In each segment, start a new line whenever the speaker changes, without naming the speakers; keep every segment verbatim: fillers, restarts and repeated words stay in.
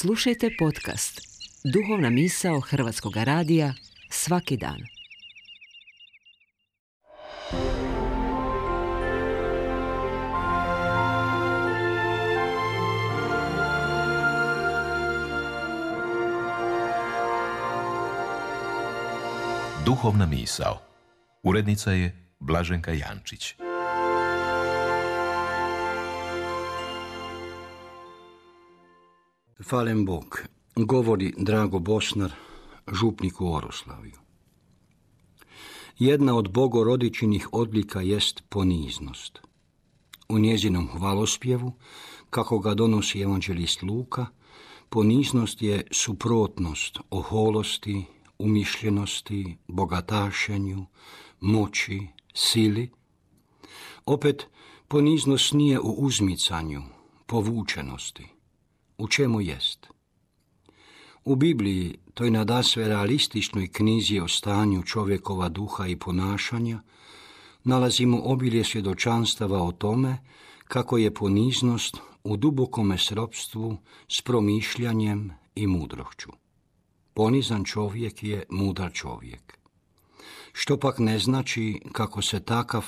Slušajte podcast Duhovna misao Hrvatskog radija svaki dan.
Duhovna misao. Urednica je Blaženka Jančić.
Hvalem Bog, govori Drago Bosnar, župnik u Oroslavju. Jedna od bogorodičinih odlika jest poniznost. U njezinom hvalospjevu, kako ga donosi evanđelist Luka, poniznost je suprotnost oholosti, umišljenosti, bogatašenju, moći, sili. Opet, poniznost nije u uzmicanju, povučenosti. U čemu jest? U Bibliji, toj nadasve realističnoj knjizi o stanju čovjekova duha i ponašanja, nalazimo obilje svjedočanstava o tome kako je poniznost u dubokome sropstvu s promišljanjem i mudrošću. Ponizan čovjek je mudar čovjek. Što pak ne znači kako se takav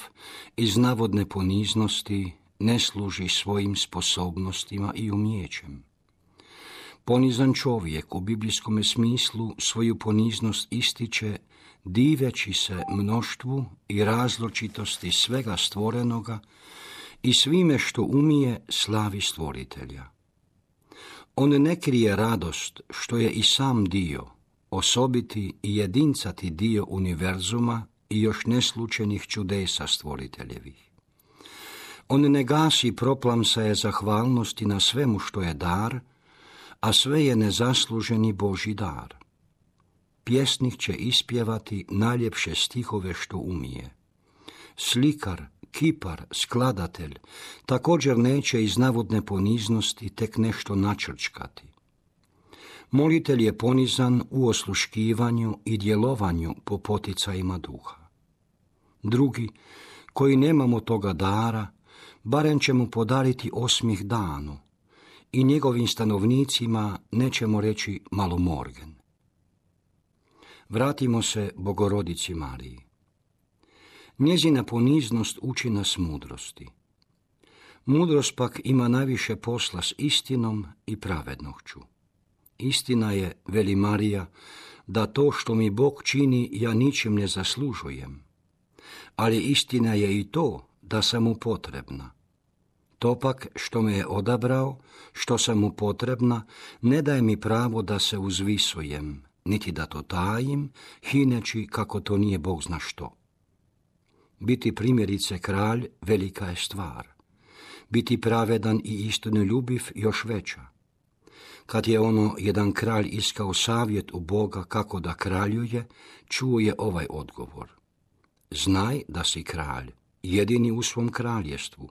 iz navodne poniznosti ne služi svojim sposobnostima i umijećem. Ponizan čovjek u biblijskom smislu svoju poniznost ističe diveći se mnoštvu i različitosti svega stvorenoga i svime što umije slavi stvoritelja. On ne krije radost što je i sam dio, osobiti i jedincati dio univerzuma i još neslučenih čudesa stvoriteljevih. On ne gasi proplamsaje zahvalnosti na svemu što je dar, a sve je nezasluženi Božji dar. Pjesnik će ispjevati najljepše stihove što umije. Slikar, kipar, skladatelj također neće iz navodne poniznosti tek nešto načrčkati. Molitelj je ponizan u osluškivanju i djelovanju po poticajima duha. Drugi, koji nemamo toga dara, barem ćemo podariti osmih danu i njegovim stanovnicima nećemo reći malomorgen. Vratimo se Bogorodici Mariji. Njezina poniznost uči nas mudrosti. Mudrost pak ima najviše posla s istinom i pravednošću. Istina je, veli Marija, da to što mi Bog čini ja ničim ne zaslužujem. Ali istina je i to da sam mu potrebna. To pak što me je odabrao, što sam mu potrebna, ne daje mi pravo da se uzvisujem, niti da to tajim, hineći kako to nije Bog zna što. Biti primjerice kralj velika je stvar. Biti pravedan i istinoljubiv još veća. Kad je ono jedan kralj iskao savjet u Boga kako da kraljuje, čuo je ovaj odgovor. Znaj da si kralj, jedini u svom kraljestvu.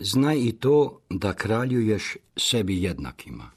Znaj i to da kraljuješ sebi jednakima.